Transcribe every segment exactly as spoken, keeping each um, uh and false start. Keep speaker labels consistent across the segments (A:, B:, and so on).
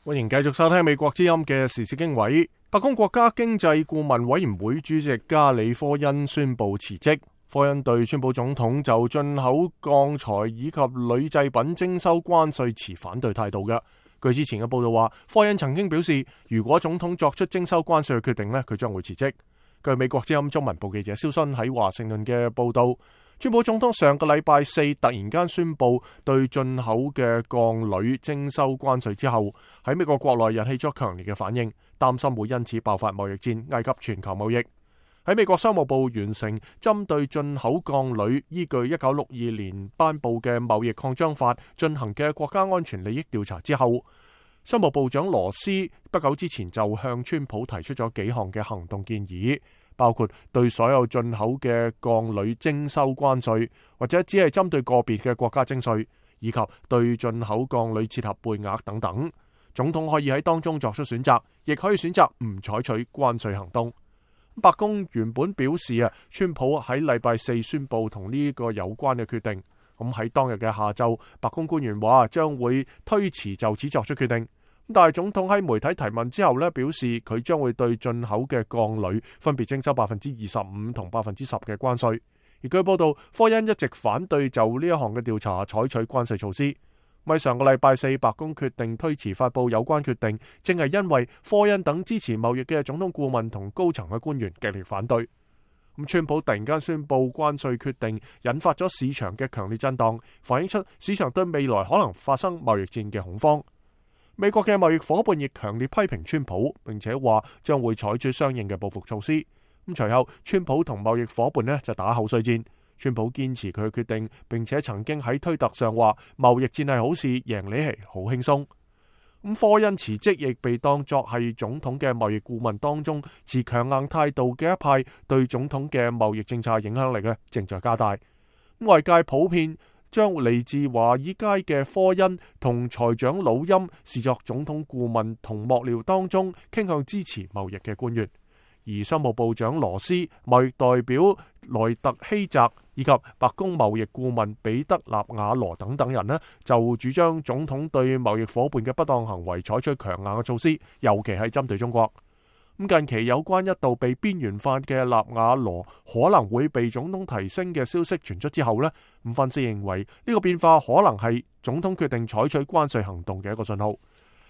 A: 歡迎繼續收聽美國之音嘅時事經緯。白宮國家經濟顧問委員會主席加里科恩宣布辭職。科恩對川普總統就進口鋼材以及鋁製品徵收關稅持反對態度嘅。據之前嘅報道話，科恩曾經表示，如果總統作出徵收關稅嘅決定呢，佢將會辭職。據美國之音中文部記者蕭新喺華盛頓嘅報道，川普總統上個禮拜四突然間宣布對進口嘅鋼鋁徵收關稅之後，喺美國國內引起咗強烈嘅反應，擔心會因此爆發貿易戰，危及全球貿易。喺美國商務部完成針對進口鋼鋁依據一九六二年頒布嘅貿易擴張法進行嘅國家安全利益調查之後，商務部長羅斯不久之前就向川普提出咗幾項嘅行動建議，包括對所有進口嘅鋼鋁徵收關稅，或者只係針對個別嘅國家徵稅，以及對進口鋼鋁設立配額等等。總統可以喺當中作出選擇，亦可以選擇唔採取關稅行動。白宮原本表示啊，川普喺禮拜四宣布同呢個有關嘅決定。咁喺當日嘅下晝，白宮官員話將會推遲就此作出決定。但係總統喺媒體提問之後呢，表示佢將會對進口嘅鋼鋁分別徵收百分之二十五同百分之十嘅關稅。而據報道，科恩一直反對就呢一項嘅調查採取關稅措施。咪上個禮拜四，白宮決定推遲發佈有關決定，正係因為科恩等支持貿易嘅總統顧問同高層嘅官員極力反對。咁川普突然間宣布關稅決定，引發咗市場嘅強烈震盪，反映出市場對未來可能發生貿易戰嘅恐慌。美國嘅貿易夥伴亦強烈批評川普，並且話將會採取相應嘅報復措施。咁隨後，川普同貿易夥伴呢就打口水戰。川普堅持佢嘅決定，並且曾經喺推特上話貿易戰係好事，贏你係好輕鬆。咁科恩辭職亦被當作係總統嘅貿易顧問當中持強硬態度嘅一派，對總統嘅貿易政策影響力呢正在加大。外界普遍將嚟自華爾街嘅科恩同財長魯欽視作總統顧問同幕僚當中傾向支持貿易嘅官員。而商務部長羅斯、貿易代表萊特希澤以及白宮貿易顧問彼得納瓦羅等等人呢，就主張總統對貿易夥伴嘅不當行為採取強硬嘅措施，尤其係針對中國。咁近期有關一度被邊緣化嘅納瓦羅可能會被總統提升嘅消息傳出之後呢，咁分析認為呢個變化可能係總統決定採取關稅行動嘅一個信號。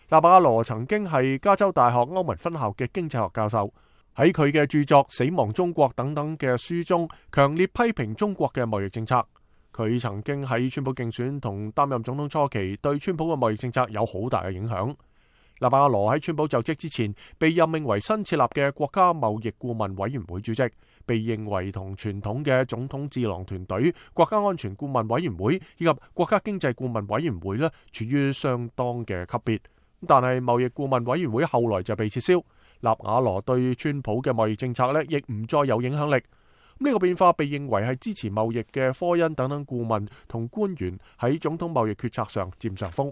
A: 納瓦羅曾經係加州大學歐文分校嘅經濟學教授。喺佢嘅著作《死亡中國》等等嘅書中，強烈批評中國嘅貿易政策。佢曾經喺川普競選同擔任總統初期，對川普嘅貿易政策有好大嘅影響。納瓦羅喺川普就職之前，被任命為新設立嘅國家貿易顧問委員會主席，被認為同傳統嘅總統智囊團隊、國家安全顧問委員會以及國家經濟顧問委員會呢，處於相當嘅級別。但係貿易顧問委員會後來就被撤銷。納瓦羅對川普嘅貿易政策呢，亦唔再有影響力。呢個變化被認為係支持貿易嘅科恩等等顧問同官員喺總統貿易決策上佔上風。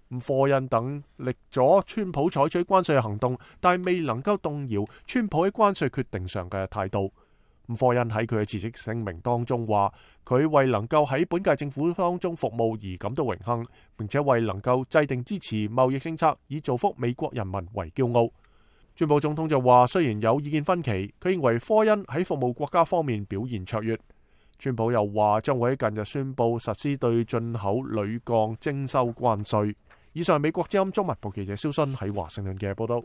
A: 咁科恩等力咗川普採取關稅行動，但係未能夠動搖川普喺關稅決定上嘅態度。咁科恩喺佢嘅辭職聲明當中話，佢為能夠喺本屆政府當中服務而感到榮幸，並且為能夠制定支持貿易政策以造福美國人民為驕傲。川普總統就話，雖然有意見分歧，佢認為科恩喺服務國家方面表現卓越。川普又話將會喺近日宣布實施對進口鋁鋼徵收關稅。以上係美國之音中文部記者蕭新喺華盛頓嘅報道。